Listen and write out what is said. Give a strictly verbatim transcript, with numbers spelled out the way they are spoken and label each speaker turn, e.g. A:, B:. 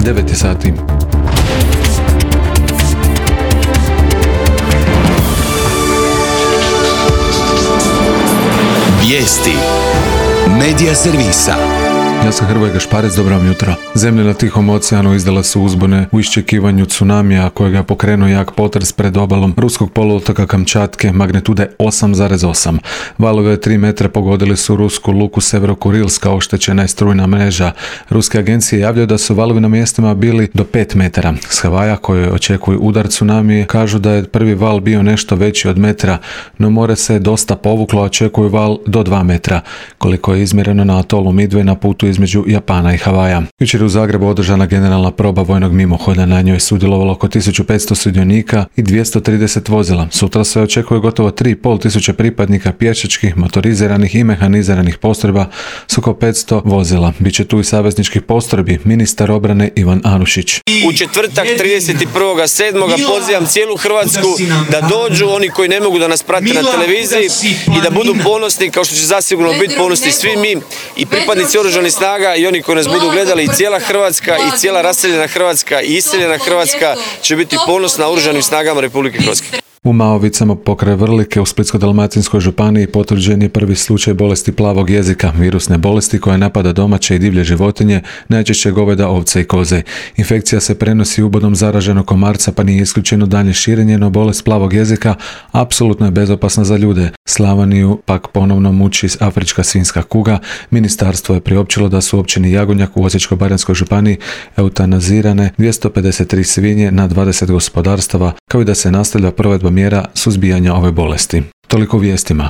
A: devet je sati.
B: Vijesti Medija servisa.
A: Ja sam Hrvoje Gašparec, dobro vam jutro. Zemlje na Tihom oceanu izdala su uzbune u iščekivanju tsunamija kojega je pokrenuo jak potres pred obalom ruskog poluotoka Kamčatke magnitude osam zarez osam. Valove od tri metra pogodili su rusku luku Severokurilska, oštećena je strujna mreža. Ruske agencije javljaju da su valovi na mjestima bili do pet metara. S Havaja, koje očekuju udar tsunamije, kažu da je prvi val bio nešto veći od metra, no more se dosta povuklo, očekuju val do dva metra, koliko je izmjereno na atolu Midway na putu između Japana i Havaja. Jučer u Zagrebu održana generalna proba vojnog mimohoda, na njoj je sudjelovalo oko tisuću petsto sudionika i dvjesto trideset vozila. Sutra se očekuje gotovo tri i pol tisuće pripadnika pješačkih, motoriziranih i mehaniziranih postrojba s oko petsto vozila. Biće tu i savezničkih postrojbi, ministar obrane Ivan Anušić.
C: U četvrtak trideset prvog sedmog pozivam cijelu Hrvatsku da dođu, oni koji ne mogu da nas prate na televiziji, i da budu ponosni, kao što će zasigurno biti ponosni svi mi i pripadnici oružanih snaga i oni koji nas budu gledali, i cijela Hrvatska i cijela raseljena Hrvatska i iseljena Hrvatska će biti ponosna oružanim snagama Republike Hrvatske.
A: U Maovicama pokraj Vrlike u Splitsko-dalmatinskoj županiji potvrđen je prvi slučaj bolesti plavog jezika, virusne bolesti koja napada domaće i divlje životinje, najčešće goveda, ovce i koze. Infekcija se prenosi ubodom zaraženog komarca, pa nije isključeno dalje širenje, no bolest plavog jezika apsolutno je bezopasna za ljude. Slavoniju pak ponovno muči afrička svinjska kuga. Ministarstvo je priopćilo da su u općini Jagodnjak u Osječko-baranjskoj županiji eutanazirane dvjesto pedeset tri svinje na dvadeset gospodarstava, kao i da se nastavlja provedba mjera suzbijanja ove bolesti. Toliko u vijestima.